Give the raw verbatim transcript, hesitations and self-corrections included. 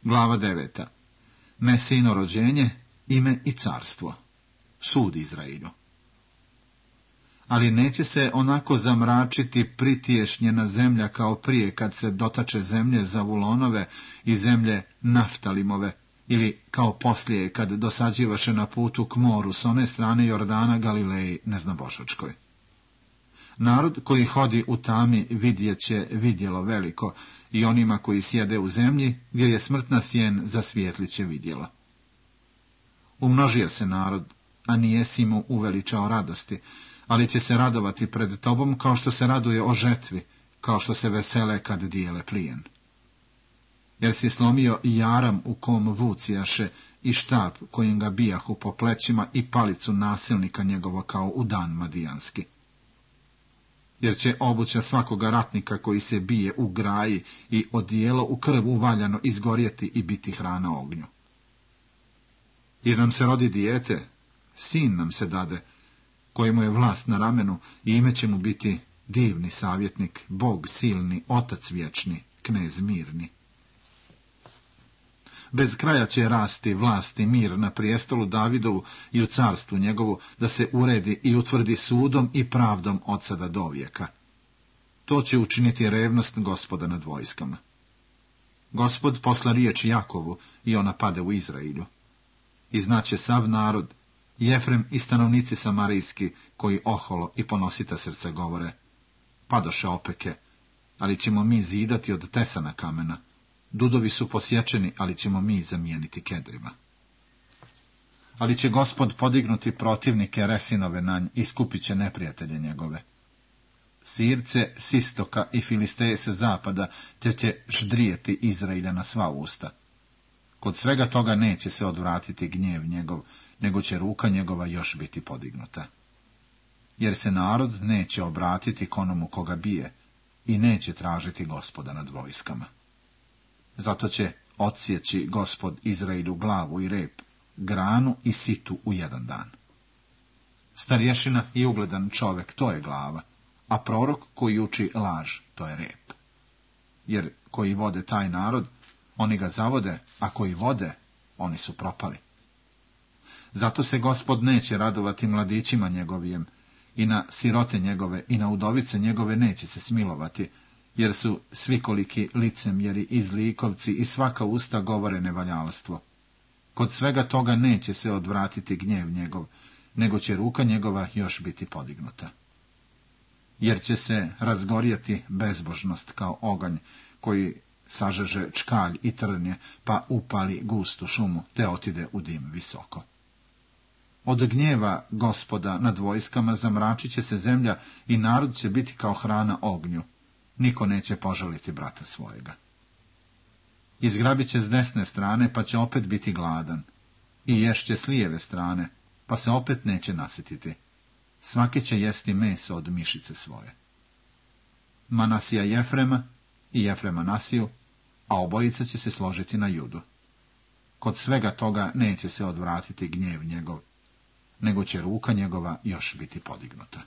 Glava deveta. Mesijino rođenje, ime i carstvo. Sud Izraelju. Ali neće se onako zamračiti pritješnjena zemlja kao prije kad se dotače zemlje Zavulonove i zemlje Naftalimove, ili kao poslije kad dosađivaše na putu k moru s one strane Jordana Galileji neznabošačkoj. Narod koji hodi u tami vidjet će vidjelo veliko, i onima koji sjede u zemlji gdje je smrtna sjen zasvijetlit će vidjelo. Umnožio se narod, a nijesi mu uveličao radosti, ali će se radovati pred tobom kao što se raduje o žetvi, kao što se vesele kad dijele plijen. Jer si slomio i jaram u kom vucijaše i štap kojim ga bijahu po plećima i palicu nasilnika njegova kao u dan madijanski. Jer će obuća svakoga ratnika koji se bije u graji i odijelo u krv uvaljano izgorjeti i biti hrana ognju. Jer nam se rodi dijete, sin nam se dade, kojemu je vlast na ramenu, i ime će mu biti divni savjetnik, Bog silni, Otac vječni, Knez mirni. Bez kraja će rasti vlast i mir na prijestolu Davidovu i u carstvu njegovu, da se uredi i utvrdi sudom i pravdom od sada do vijeka. To će učiniti revnost Gospoda nad vojskama. Gospod posla riječ Jakovu i ona pade u Izraelju. I znaće sav narod, Jefrem i stanovnici samarijski, koji oholo i ponosita srce govore: padoše opeke, ali ćemo mi zidati od tesana kamena. Dudovi su posječeni, ali ćemo mi zamijeniti kedrima. Ali će Gospod podignuti protivnike Resinove na nj i skupit će neprijatelje njegove. Sirce s istoka i Filisteje sa zapada te će ždrijeti Izraelja na sva usta. Kod svega toga neće se odvratiti gnjev njegov, nego će ruka njegova još biti podignuta. Jer se narod neće obratiti k onomu koga bije i neće tražiti Gospoda nad vojskama. Zato će odsjeći Gospod Izraelju glavu i rep, granu i situ u jedan dan. Starješina i ugledan čovjek, to je glava, a prorok koji uči laž, to je rep. Jer koji vode taj narod, oni ga zavode, a koji vode, oni su propali. Zato se Gospod neće radovati mladićima njegovijem, i na sirote njegove i na udovice njegove neće se smilovati, jer su svikoliki licemjeri i zlikovci i svaka usta govore nevaljalstvo. Kod svega toga neće se odvratiti gnjev njegov, nego će ruka njegova još biti podignuta. Jer će se razgorjeti bezbožnost kao oganj, koji sažeže čkalj i trnje, pa upali gustu šumu, te otide u dim visoko. Od gnjeva Gospoda nad vojskama zamračit će se zemlja i narod će biti kao hrana ognju. Niko neće požaliti brata svojega. Izgrabit će s desne strane, pa će opet biti gladan. I ješće s lijeve strane, pa se opet neće nasititi. Svaki će jesti meso od mišice svoje. Manasija Jefrema i Jefrema Nasiju, a obojica će se složiti na Judu. Kod svega toga neće se odvratiti gnjev njegov, nego će ruka njegova još biti podignuta.